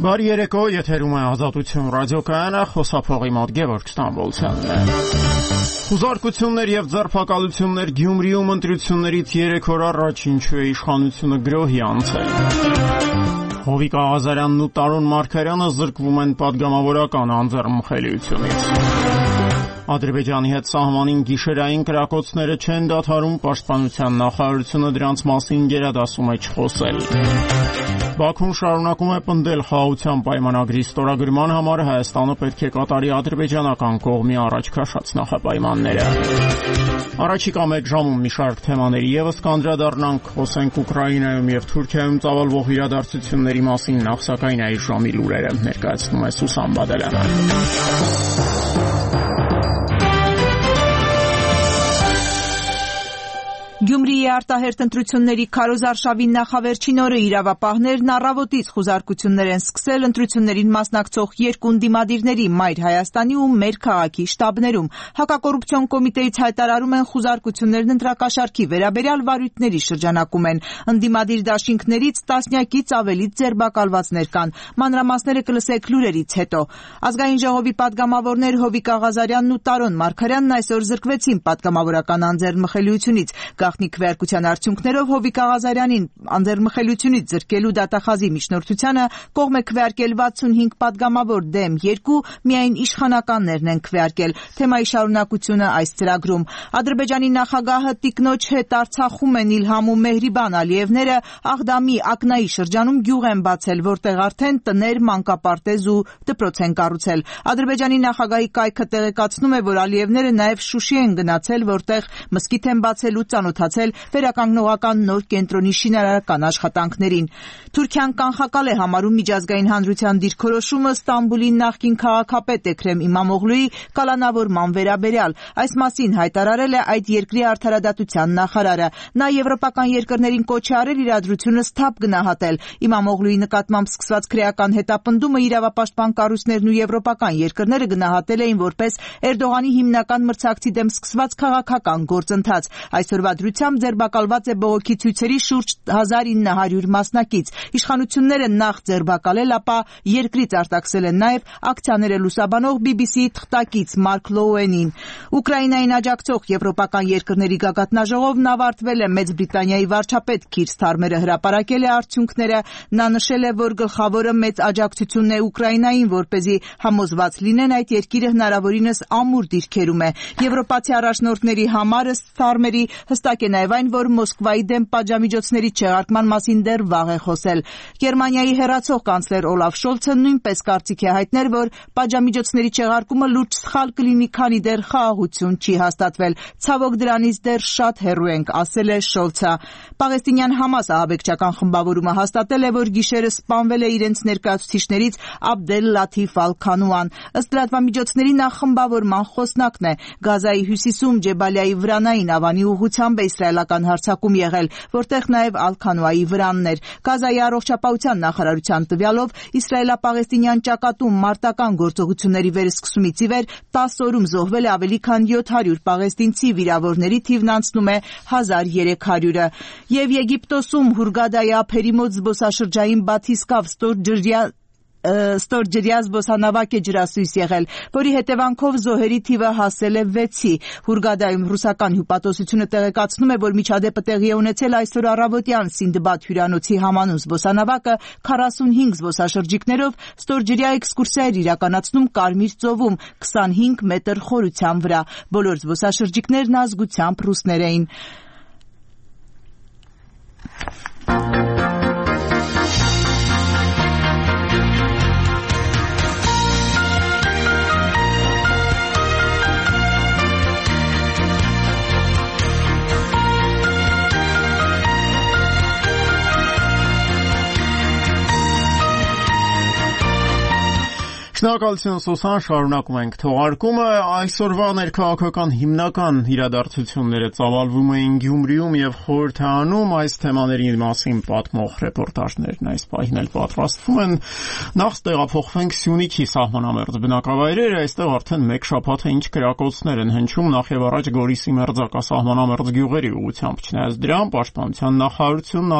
Բարի երեկո, եթերում է Ազատություն ռադիոկայանը, խոսափողի մոտ Գևորգ Ստամբոլցյանն է։ Խուզարկություններ եւ ձերբակալություններ Գյումրիում ընտրություններից 3 օր առաջ ինչու է իշխանությունը գրոհի անցել։ Հովիկ Աղազարյանն ու Տարոն Մարգարյանը զրկվում են պատգամավորական անձեռնմխելիությունից։ Ադրբեջանի հետ սահմանին գիշերային կրակոցները չեն դադարում, պաշտպանության նախարարությունը դրանց մասին գերադասում է չխոսել։ Բաքուն շարունակում է պնդել խաղաղության պայմանագրի ստորագրման համար Հայաստանը պետք է կատարի ադրբեջանական կողմի առաջ քաշած նախապայմանները։ Առաջիկա մեկ ժամում մի շարք թեմաների ևս կանդրադառնանք, խոսենք Ուկրաինայում եւ Թուրքիայում ծավալվող իրադարձությունների մասին, նախ սակայն այս ժամի լուրերը ներկայացնում է Սուսան Բադալյանը։ Գյումրիի արտահերթ ընտրությունների քարոզարշավի նախավերջին օրը իրավապահներն առավոտից խուզարկություններ են սկսել ընտրություններին մասնակցող երկու ընդդիմադիրների Մայր Հայաստանի ու Մեր քաղաքի շտաբներում։ Հակակոռուպցիոն կոմիտեից հայտարարում են խուզարկություններն ընտրակաշառքի վերաբերյալ վարույթների շրջանակում են։ Ընդդիմադիր դաշինքներից տասնյակից ավելի ձերբակալվածներ կան։ Մանրամասները կլսեք լուրերից հետո։ Ազգային ժողովի падգամավորներ Հովիկ Աղազարյանն ու Տարոն Մարգարյանն այսօր զրկվեցին падգամավորական անձեռնմխելիությունից։ Գաղտնի քվեարկության արդյունքներով Հովիկ Աղազարյանին անձեռնմխելիությունից զրկելու դատախազի միջնորդությանը կողմ է քվեարկել 65 падգամավոր դեմ 2, միայն իշխանականներն են քվեարկել։ Թեմայի շարունակությունը այս ծրագրում։ Ադրբեջանի նախագահը տիկնոջ հետ Արցախում են Իլհամ ու Մեհրիբան Ալիևները Աղդամի Ակնայի շրջանում գյուղ են բացել, որտեղ արդեն տներ, մանկապարտեզ ու դպրոց են կառուցել։ Ադրբեջանի նախագահի կայքը տեղեկացնում է, որ Ալիևները նաև Շուշի են գնացել, որտեղ մզկիթ են բացել ու ծանոթացել վերականգնողական նոր կենտրոնի շինարարական աշխատանքներին։ Թուրքիան կանխակալ է համարում միջազգային հանրության դիրքորոշումը Ստամբուլի նախկին քաղաքապետ Էքրեմ Իմամօղլուի կալանավորման վերաբերյալ։ Այս մասին հայտարարել է այդ երկրի արդարադատության նախարարը։ Նա եվրոպական երկրներին կոչ է արել իրադրությունը սթափ գնահատել։ Իմամօղլուի նկատմամբ սկսված քրեական հետապնդումը իրավապաշտպան կառույցներն ու եվրոպական երկրները գնահատել էին որպես Էրդողանի հիմնական մրցակցի դեմ սկսված քաղաքական գործընթաց։ Այսօրվա դրությամբ ձերբակալված է բողոքի ցույցերի շուրջ 1900 մասնակից։ Իշխանությունները նախ ձերբակալել, ապա երկրից արտաքսել են նաև ակցիաները լուսաբանող BBC-ի թղթակից Մարկ Լոուենին։ Ուկրաինային աջակցող եվրոպական երկրների գագաթնաժողովն ավարտվել է Մեծ Բրիտանիայի վարչապետ Քիր Սթարմերը հրապարակել է արդյունքները։ Նա նշել է, որ գլխավորը մեծ աջակցությունն է Ուկրաինային, որպեսզի համոզված լինեն այդ երկիրը հնարավորինս ամուր դիրքերում է։ Եվրոպացի առաջնորդների համար Սթարմերի հստակ է նաև այն, որ Մոսկվայի դեմ պատժամիջոցների չեղարկման մասին դեռ վաղ է խոսել։ Գերմանիայի հեռացող կանցլեր Օլաֆ Շոլցը նույնպես կարծիք է հայտնել, որ պատժամիջոցների չեղարկումը լուրջ սխալ կլինի, քանի դեռ խաղաղություն չի հաստատվել։ Ցավոք դրանից դեռ շատ հեռու ենք, ասել է Շոլցը։ Պաղեստինյան Համաս ահաբեկչական խմբավորումը հաստատել է, որ գիշերը սպանվել է իրենց ներկայացուցիչներից Աբդել Լաթիֆ Ալ-Քանուան։ Ըստ լրատվամիջոցների նա խմբավորման խոսնակն է։ Գազայի հյուսիսում Ջեբալիայի վրանային ավանի ուղղությամբ է իսրայելական հարձակում եղել, որտեղ նաև Ալ-Քանուայի վրանն էր։ Գազայի առողջապահության նախարարության տվյալով իսրայելա-պաղեստինյան ճակատում մարտական գործողությունների վերսկսումից ի վեր 10 օրում զոհվել է ավելի քան 700 պաղեստինցի, վիրավորների թիվն անցնում է 1300-ը։ Եվ Եգիպտոսում Հուրգադայի ափերի մոտ զբոսաշրջային բաթիսկավ ստորջրյա զբոսանավակ է ջրասույս եղել, որի հետևանքով զոհերի թիվը հասել է 6-ի։ Հուրգադայում ռուսական հյուպատոսությունը տեղեկացնում է, որ միջադեպը տեղի է ունեցել այսօր առավոտյան Սինդբադ հյուրանոցի համանուն զբոսանավակը 45 զբոսաշրջիկներով ստորջրյա էքսկուրսիա էր իրականացնում Կարմիր ծովում 25 մետր խորության վրա։ Բոլոր զբոսաշրջիկներն ազգությամբ ռուսներ էին։ Շնորհակալություն Սուսան, շարունակում ենք թողարկումը։ Այսօրվա ներքաղաքական հիմնական իրադարձությունները ծավալվում էին Գյումրիում եւ Խորհրդանում, այս թեմաների մասին պատմող ռեպորտաժներն այս պահին էլ պատրաստվում են։ Նախ տեղափոխվենք Սյունիքի սահմանամերձ բնակավայրեր, այստեղ արդեն մեկ շաբաթ է ինչ կրակոցներ են հնչում նախ եւ առաջ Գորիսի մերձակա սահմանամերձ գյուղերի ուղղությամբ, չնայած դրան պաշտպանության նախարարությունն